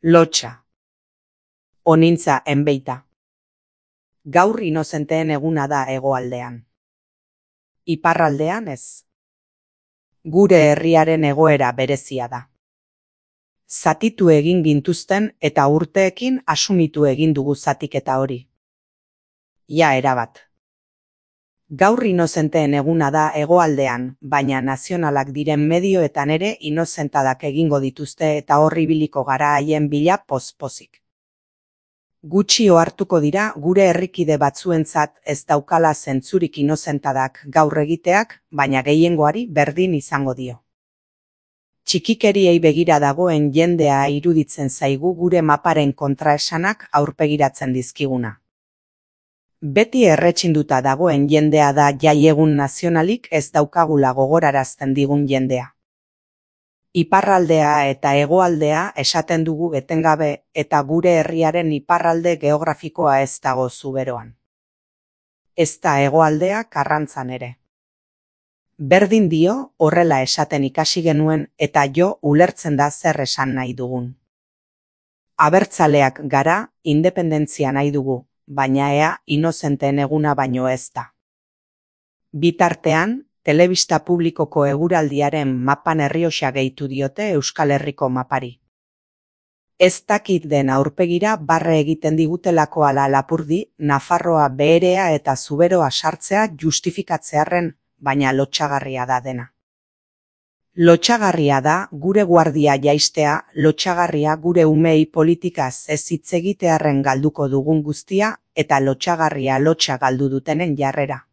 Lotsa. Onintza enbeita. Gaur inozenteen eguna da hegoaldean. Iparraldean ez. Gure herriaren egoera berezia da. Zatitu egin gintuzten eta urteekin asumitu egin dugu zatiketa hori. Ja erabat. Gaur inozenteen eguna da hegoaldean, baina nazionalak diren medioetan ere inozentadak egingo dituzte eta horri biliko gara haien bila poz-pozik. Gutxi ohartuko dira gure herrikide batzuentzat ez daukala zentzurik inozentadak gaur egiteak, baina gehiengoari berdin izango dio. Txikikeriei begira dagoen jendea iruditzen zaigu gure maparen kontraesanak aurpegiratzen dizkiguna. Beti erretxinduta dagoen jendea da jaiegun nazionalik ez daukagula gogorarazten digun jendea. Iparraldea eta hegoaldea esaten dugu etengabe eta gure herriaren iparralde geografikoa ez dago zuberoan. Ez da hegoaldea Karrantzan ere. Berdin dio horrela esaten ikasi genuen eta jo ulertzen da zer esan nahi dugun. Abertzaleak gara, independentzia nahi dugu, baina ea inozenteen eguna baino ez da. Bitartean, telebista publikoko eguraldiaren mapan Errioxa gehitu diote Euskal Herriko mapari. Ez dakit den aurpegira barre egiten digutelako ala lapurdi, Nafarroa beherea eta zuberoa sartzea justifikatzearren, baina lotsagarria da dena. Lotsagarria da gure guardia jaistea, lotsagarria gure umei politikaz ez hitz egitearren galduko dugun guztia, eta lotsagarria lotsa galdu dutenen jarrera.